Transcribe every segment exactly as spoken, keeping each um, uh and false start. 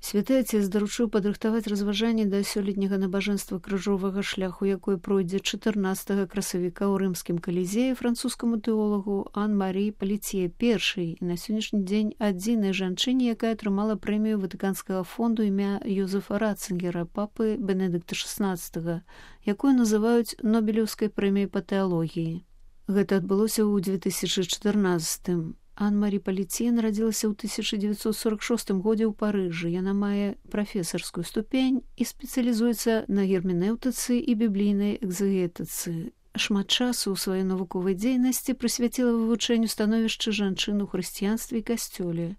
Святы Отец даручыў падрыхтаваць разважанне да сёлетняга набажэнства крыжовага шляху, якое пройдзе чатырнаццатага красавіка ў рымскім калізеі французскаму тэолагу Ан-Марі Паліцье першай, і на сённяшні дзень адзінай жанчыне, якая атрымала прэмію Ватыканскага фонду імя Йозефа Ратцынгера, папы Бенедыкта шаснаццатага, якую называюць Нобелеўскай прэміяй па тэалогіі. Гэта адбылося ў дзве тысячы чатырнаццатым. Ан-Марі Паліцье нарадзілася ў тысяча дзевяцьсот сорак шостым годзе ў Парыжы. Яна мае прафесарскую ступень і спецыялізуецца на герменэўтыцы і біблійнай экзегетыцы. Шмат часу ў сваёй навуковай дзейнасці прысвяціла вывучэнню становішча жанчын у хрысціянстве і касцёле.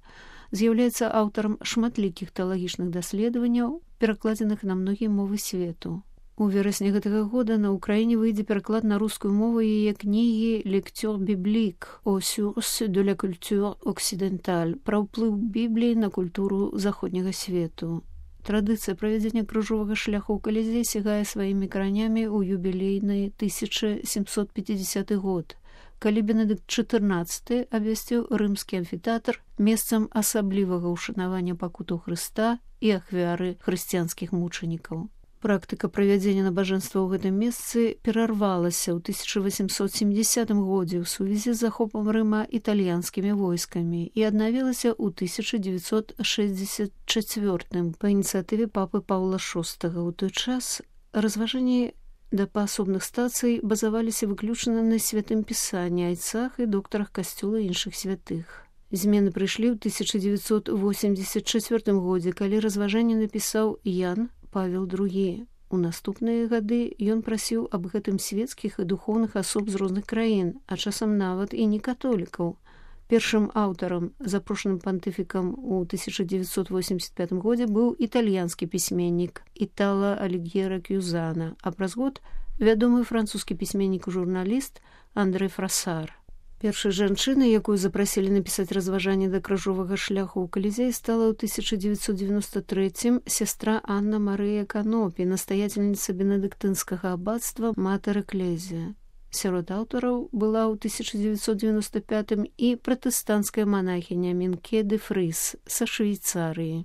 З'яўляецца аўтарам шматлікіх тэалагічных даследаванняў, перакладзеных на многія мовы свету. У верасні гэтага года на ўкраіне выйдзе пераклад на рускую мову яе кнігі «Lecture biblique aux sources de la culture occidentale» пра ўплыў Бібліі на культуру заходняга свету. Традыцыя правядзення крыжовага шляху ў Калізеі сягае сваімі каранямі ў юбілейны тысяча сямсот пяцідзясяты год, калі Бенедыкт чатырнаццаты абвясціў рымскі амфітэатр месцам асаблівага ўшанавання пакутаў Хрыста і ахвяры хрысціянскіх мучанікаў. Практыка правядзення набажэнства ў гэтым месцы перарвалася ў тысяча васемсот семдзесятым годзе ў сувязі з захопам Рыма італьянскімі войскамі і аднавілася ў тысяча дзевяцьсот шэсцьдзесят чацвёртым па ініцыятыве папы Паўла шостага. У той час разважанні да паасобных стацый базаваліся выключна на святым пісанні, айцах і доктарах касцёла і іншых святых. Змены прыйшлі ў тысяча дзевяцьсот восемьдзесят чацвёртым годзе, калі разважанне напісаў Ян Павел другі. У наступныя гады ён прасіў аб гэтым свецкіх і духоўных асоб з розных краін, а часам нават і не католікаў. Першым аўтарам, запрошаным пантыфікам у тысяча дзевяцьсот восемьдесят пятым годзе быў італьянскі пісьменнік Італа Альгьера Кюзана, а праз год вядомы французскі пісьменнік і журналіст Андрэ Фрасар. Першай жанчынай, якую запрасілі напісаць разважанне да крыжовага шляху ў Калізеі, стала ў тысяча дзевяцьсот девяносто третьем сястра Анна Марыя Канопі, настаяцельніца бенедыктынскага аббацтва Матэр Экклезія. Сярод аўтараў была ў тысяча дзевяцьсот девяносто пятым і пратэстанцкая манахіня Мінке де Фрыс са Швейцарыі.